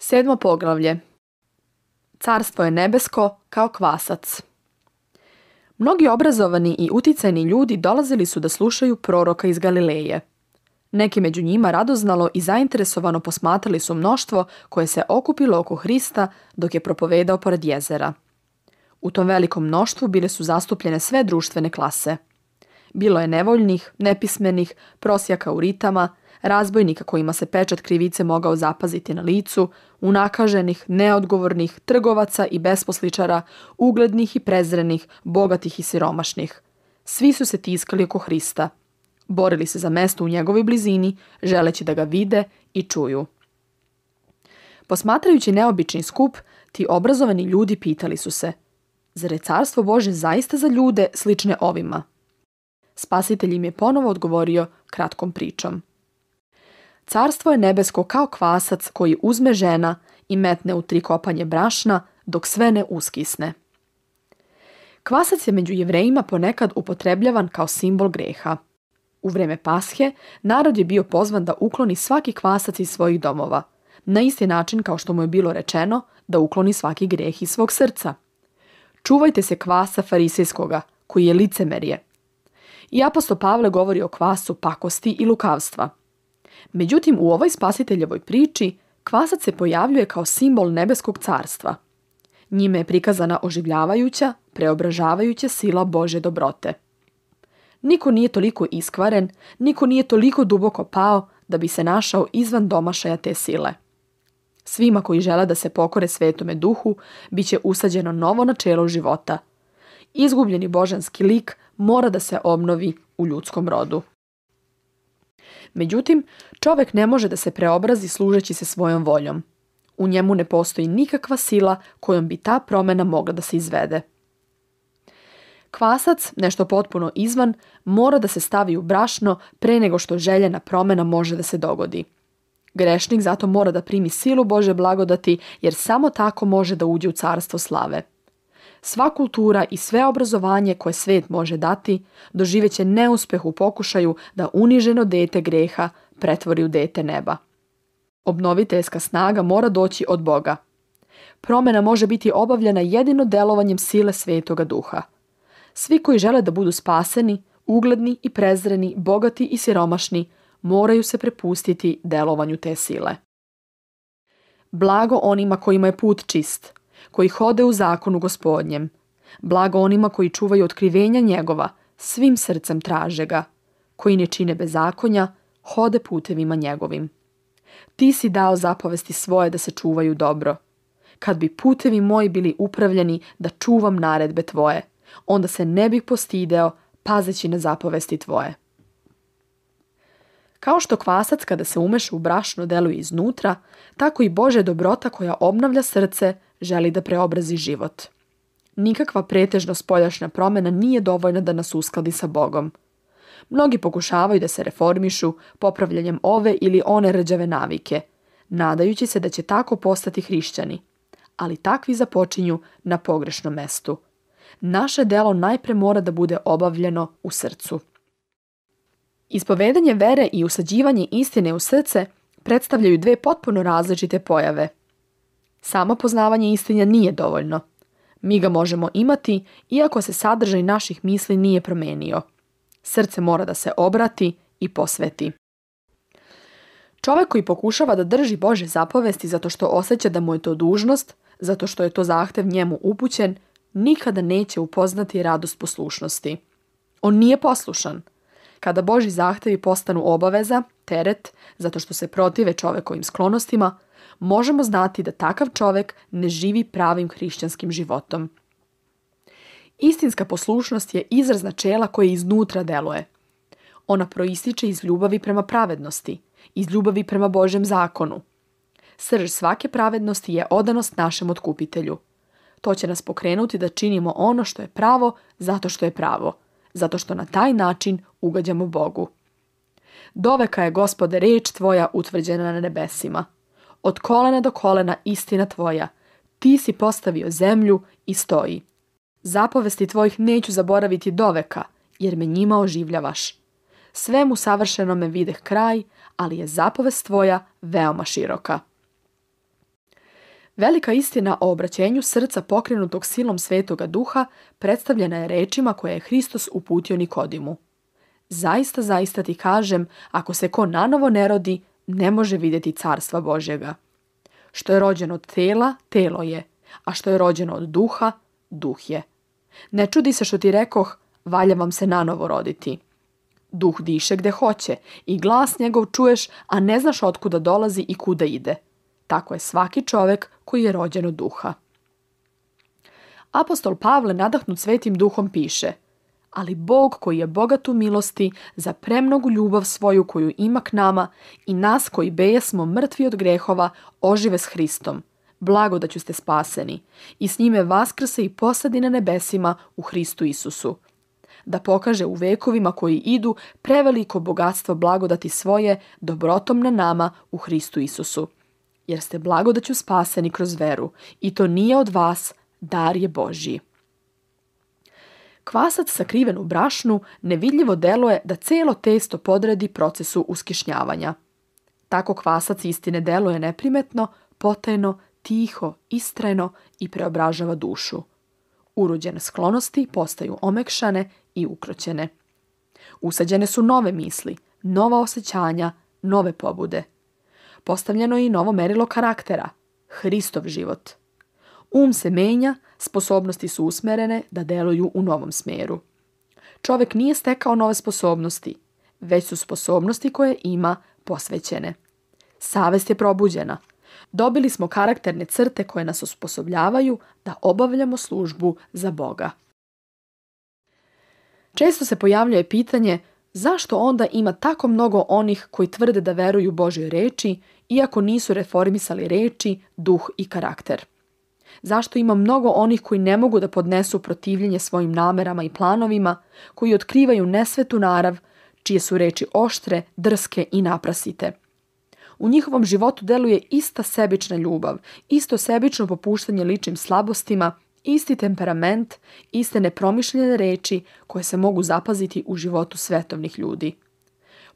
7. poglavlje. Carstvo je nebesko kao kvasac. Mnogi obrazovani i uticajni ljudi dolazili su da slušaju proroka iz Galileje. Neki među njima radoznalo i zainteresovano posmatrali su mnoštvo koje se okupilo oko Hrista dok je propovedao pored jezera. U tom velikom mnoštvu bile su zastupljene sve društvene klase. Bilo je nevoljnih, nepismenih, prosjaka u ritama, razbojnika kojima se pečat krivice mogao zapaziti na licu, unakaženih, neodgovornih, trgovaca i besposličara, uglednih i prezrenih, bogatih i siromašnih. Svi su se tiskali oko Hrista. Borili se za mesto u njegovoj blizini, želeći da ga vide i čuju. Posmatrajući neobični skup, ti obrazovani ljudi pitali su se: zar je carstvo Bože zaista za ljude slične ovima? Spasitelj im je ponovo odgovorio kratkom pričom. Carstvo je nebesko kao kvasac koji uzme žena i metne u 3 kopanje brašna dok sve ne uskisne. Kvasac je među Jevrejima ponekad upotrebljavan kao simbol greha. U vreme Pashe narod je bio pozvan da ukloni svaki kvasac iz svojih domova, na isti način kao što mu je bilo rečeno da ukloni svaki greh iz svog srca. Čuvajte se kvasa farisejskoga, koji je licemerje. I apostol Pavle govori o kvasu pakosti i lukavstva. Međutim, u ovoj spasiteljevoj priči kvasac se pojavljuje kao simbol nebeskog carstva. Njime je prikazana oživljavajuća, preobražavajuća sila Božje dobrote. Niko nije toliko iskvaren, niko nije toliko duboko pao da bi se našao izvan domašaja te sile. Svima koji žele da se pokore Svetome Duhu, bit će usađeno novo načelo života. Izgubljeni božanski lik mora da se obnovi u ljudskom rodu. Međutim, čovjek ne može da se preobrazi služeći se svojom voljom. U njemu ne postoji nikakva sila kojom bi ta promjena mogla da se izvede. Kvasac, nešto potpuno izvan, mora da se stavi u brašno pre nego što željena promjena može da se dogodi. Grešnik zato mora da primi silu Božje blagodati, jer samo tako može da uđe u carstvo slave. Sva kultura i sve obrazovanje koje svet može dati doživeće neuspeh u pokušaju da uniženo dete greha pretvori u dete neba. Obnoviteljska snaga mora doći od Boga. Promjena može biti obavljena jedino delovanjem sile Svetoga Duha. Svi koji žele da budu spaseni, ugledni i prezreni, bogati i siromašni, moraju se prepustiti delovanju te sile. Blago onima kojima je put čist, koji hode u zakonu Gospodnjem. Blago onima koji čuvaju otkrivenja njegova, svim srcem traže ga, koji ne čine bezakonja, hode putevima njegovim. Ti si dao zapovesti svoje da se čuvaju dobro. Kad bi putevi moji bili upravljeni da čuvam naredbe tvoje, onda se ne bih postideo pazeći na zapovesti tvoje. Kao što kvasac kada se umeša u brašno deluje iznutra, tako i Božja dobrota koja obnavlja srce želi da preobrazi život. Nikakva pretežno spoljašnja promjena nije dovoljna da nas uskladi sa Bogom. Mnogi pokušavaju da se reformišu popravljanjem ove ili one rđave navike, nadajući se da će tako postati hrišćani. Ali takvi započinju na pogrešnom mestu. Naše delo najpre mora da bude obavljeno u srcu. Ispovedanje vere i usađivanje istine u srce predstavljaju 2 potpuno različite pojave. Samo poznavanje istine nije dovoljno. Mi ga možemo imati iako se sadržaj naših misli nije promenio. Srce mora da se obrati i posveti. Čovjek koji pokušava da drži Božje zapovesti zato što osjeća da mu je to dužnost, zato što je to zahtev njemu upućen, nikada neće upoznati radost poslušnosti. On nije poslušan. Kada Božji zahtevi postanu obaveza, teret, zato što se protive čovjekovim sklonostima, možemo znati da takav čovjek ne živi pravim hrišćanskim životom. Istinska poslušnost je izraz načela koje iznutra deluje. Ona proističe iz ljubavi prema pravednosti, iz ljubavi prema Božjem zakonu. Srž svake pravednosti je odanost našem otkupitelju. To će nas pokrenuti da činimo ono što je pravo zato što je pravo, zato što na taj način ugađamo Bogu. Doveka je, Gospode, reč tvoja utvrđena na nebesima. Od kolena do kolena istina tvoja. Ti si postavio zemlju i stoji. Zapovesti tvojih neću zaboraviti doveka, jer me njima oživljavaš. Svemu savršenome videh kraj, ali je zapovest tvoja veoma široka. Velika istina o obraćenju srca pokrenutog silom Svetoga Duha predstavljena je rečima koje je Hristos uputio Nikodimu. Zaista, zaista ti kažem, ako se ko nanovo ne rodi, ne može vidjeti carstva Božjega. Što je rođeno od tela, telo je, a što je rođeno od duha, duh je. Ne čudi se što ti rekoh, valja vam se nanovo roditi. Duh diše gde hoće i glas njegov čuješ, a ne znaš otkuda dolazi i kuda ide. Tako je svaki čovjek koji je rođen od duha. Apostol Pavle, nadahnut Svetim Duhom, piše: ali Bog koji je bogat u milosti za premnogu ljubav svoju koju ima k nama i nas koji bejesmo mrtvi od grehova ožive s Hristom, blagodaću ste spaseni, i s njime vaskrse i posadi na nebesima u Hristu Isusu, da pokaže u vekovima koji idu preveliko bogatstvo blagodati svoje dobrotom na nama u Hristu Isusu. Jer ste blagodaću spaseni kroz veru, i to nije od vas, dar je Božji. Kvasac sakriven u brašnu nevidljivo deluje da celo testo podredi procesu uskišnjavanja. Tako kvasac istine deluje neprimetno, potajno, tiho, istrajno i preobražava dušu. Urođene sklonosti postaju omekšane i ukroćene. Usađene su nove misli, nova osjećanja, nove pobude. Postavljeno je i novo merilo karaktera, Hristov život. Um se menja, sposobnosti su usmerene da deluju u novom smjeru. Čovjek nije stekao nove sposobnosti, već su sposobnosti koje ima posvećene. Savest je probuđena. Dobili smo karakterne crte koje nas osposobljavaju da obavljamo službu za Boga. Često se pojavljuje pitanje zašto onda ima tako mnogo onih koji tvrde da veruju Božjoj reči, iako nisu reformisali reči, duh i karakter. Zašto ima mnogo onih koji ne mogu da podnesu protivljenje svojim namerama i planovima, koji otkrivaju nesvetu narav, čije su reči oštre, drske i naprasite. U njihovom životu deluje ista sebična ljubav, isto sebično popuštanje ličnim slabostima, isti temperament, iste nepromišljene reči koje se mogu zapaziti u životu svetovnih ljudi.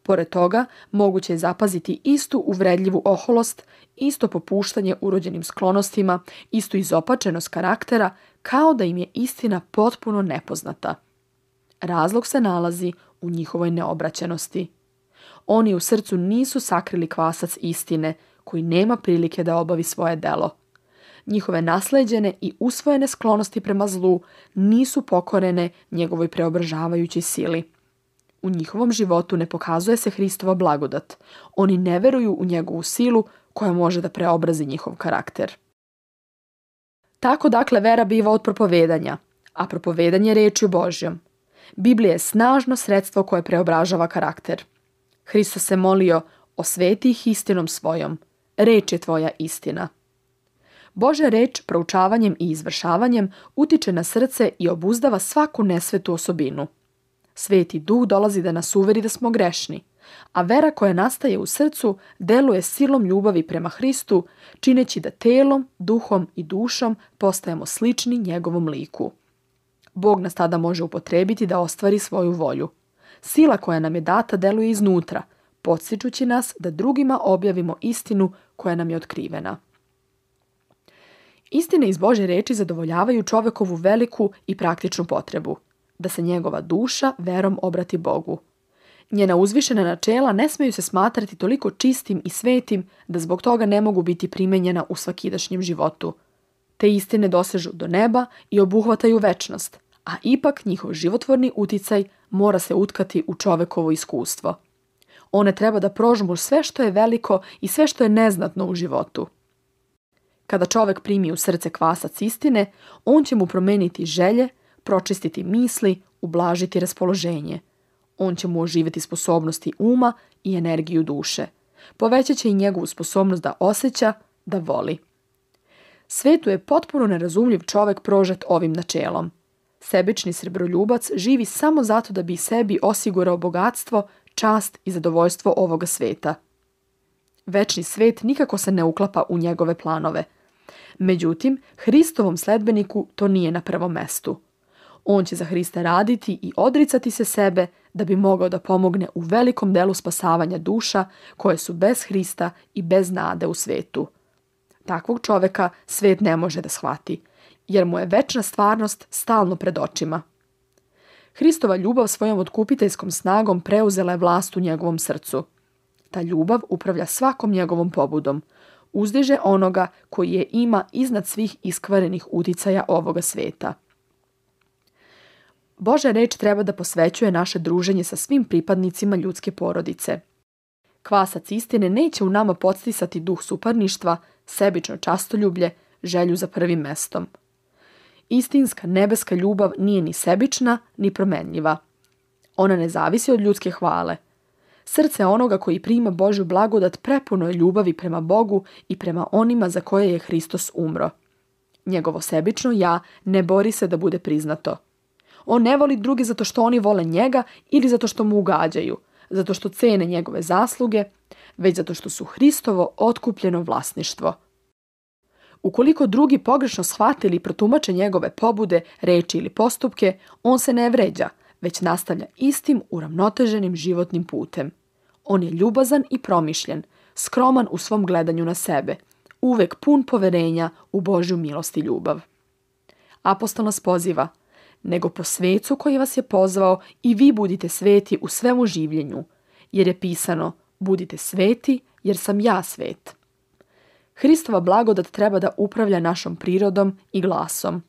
Pored toga, moguće je zapaziti istu uvredljivu oholost, isto popuštanje urođenim sklonostima, istu izopačenost karaktera, kao da im je istina potpuno nepoznata. Razlog se nalazi u njihovoj neobraćenosti. Oni u srcu nisu sakrili kvasac istine, koji nema prilike da obavi svoje delo. Njihove nasleđene i usvojene sklonosti prema zlu nisu pokorene njegovoj preobražavajućoj sili. U njihovom životu ne pokazuje se Hristova blagodat. Oni ne veruju u njegovu silu koja može da preobrazi njihov karakter. Tako dakle vera biva od propovedanja, a propovedanje rečju Božjom. Biblija je snažno sredstvo koje preobražava karakter. Hristos se molio: osveti ih istinom svojom, reč je tvoja istina. Božja reč proučavanjem i izvršavanjem utiče na srce i obuzdava svaku nesvetu osobinu. Sveti Duh dolazi da nas uveri da smo grešni, a vera koja nastaje u srcu deluje silom ljubavi prema Hristu, čineći da telom, duhom i dušom postajemo slični njegovom liku. Bog nas tada može upotrebiti da ostvari svoju volju. Sila koja nam je data deluje iznutra, podstičući nas da drugima objavimo istinu koja nam je otkrivena. Istine iz Božje reči zadovoljavaju čovjekovu veliku i praktičnu potrebu, da se njegova duša verom obrati Bogu. Njena uzvišena načela ne smeju se smatrati toliko čistim i svetim da zbog toga ne mogu biti primenjena u svakidašnjem životu. Te istine dosežu do neba i obuhvataju večnost, a ipak njihov životvorni uticaj mora se utkati u čovekovo iskustvo. One treba da prožmu sve što je veliko i sve što je neznatno u životu. Kada čovek primi u srce kvasac istine, on će mu promeniti želje, pročistiti misli, ublažiti raspoloženje. On će mu oživjeti sposobnosti uma i energiju duše. Povećat će i njegovu sposobnost da osjeća, da voli. Svetu je potpuno nerazumljiv čovek prožet ovim načelom. Sebični srebroljubac živi samo zato da bi sebi osigurao bogatstvo, čast i zadovoljstvo ovoga sveta. Večni svet nikako se ne uklapa u njegove planove. Međutim, Hristovom sledbeniku to nije na prvom mestu. On će za Hrista raditi i odricati se sebe da bi mogao da pomogne u velikom delu spasavanja duša koje su bez Hrista i bez nade u svetu. Takvog čoveka svet ne može da shvati, jer mu je večna stvarnost stalno pred očima. Hristova ljubav svojom otkupiteljskom snagom preuzela je vlast u njegovom srcu. Ta ljubav upravlja svakom njegovom pobudom, uzdiže onoga koji je ima iznad svih iskvarenih uticaja ovoga sveta. Božja reč treba da posvećuje naše druženje sa svim pripadnicima ljudske porodice. Kvasac istine neće u nama podstisati duh suparništva, sebično častoljublje, želju za prvim mestom. Istinska nebeska ljubav nije ni sebična, ni promenljiva. Ona ne zavisi od ljudske hvale. Srce onoga koji prima Božju blagodat prepuno je ljubavi prema Bogu i prema onima za koje je Hristos umro. Njegovo sebično ja ne bori se da bude priznato. On ne voli druge zato što oni vole njega ili zato što mu ugađaju, zato što cene njegove zasluge, već zato što su Hristovo otkupljeno vlasništvo. Ukoliko drugi pogrešno shvate ili protumače njegove pobude, reči ili postupke, on se ne vređa, već nastavlja istim uravnoteženim životnim putem. On je ljubazan i promišljen, skroman u svom gledanju na sebe, uvek pun poverenja u Božju milost i ljubav. Apostol nas poziva: nego po svecu koji vas je pozvao i vi budite sveti u svemu življenju, jer je pisano: budite sveti, jer sam ja svet. Hristova blagodat treba da upravlja našom prirodom i glasom.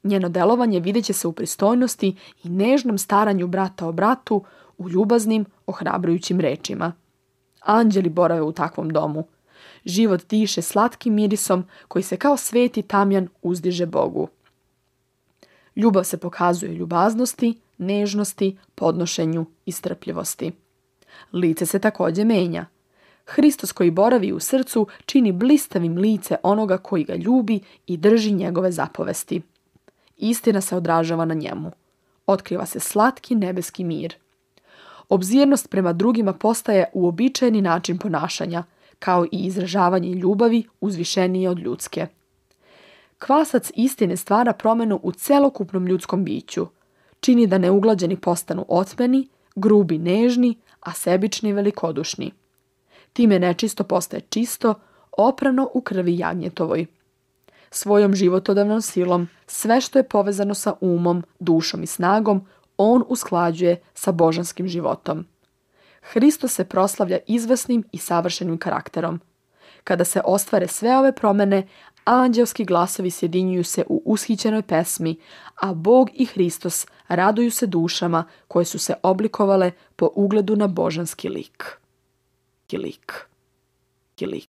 Njeno delovanje vidjet će se u pristojnosti i nežnom staranju brata o bratu, u ljubaznim, ohrabrujućim rečima. Anđeli borave u takvom domu. Život diše slatkim mirisom koji se kao sveti tamjan uzdiže Bogu. Ljubav se pokazuje ljubaznosti, nežnosti, podnošenju i strpljivosti. Lice se također menja. Hristos koji boravi u srcu čini blistavim lice onoga koji ga ljubi i drži njegove zapovesti. Istina se odražava na njemu. Otkriva se slatki nebeski mir. Obzirnost prema drugima postaje uobičajeni način ponašanja, kao i izražavanje ljubavi uzvišenije od ljudske. Kvasac istine stvara promjenu u celokupnom ljudskom biću. Čini da neuglađeni postanu otmeni, grubi nežni, a sebični velikodušni. Time nečisto postaje čisto, oprano u krvi jagnjetovoj. Svojom životodavnom silom sve što je povezano sa umom, dušom i snagom, on usklađuje sa božanskim životom. Hristos se proslavlja izvesnim i savršenim karakterom. Kada se ostvare sve ove promjene, anđelski glasovi sjedinjuju se u ushićenoj pesmi, a Bog i Hristos raduju se dušama koje su se oblikovale po ugledu na božanski lik.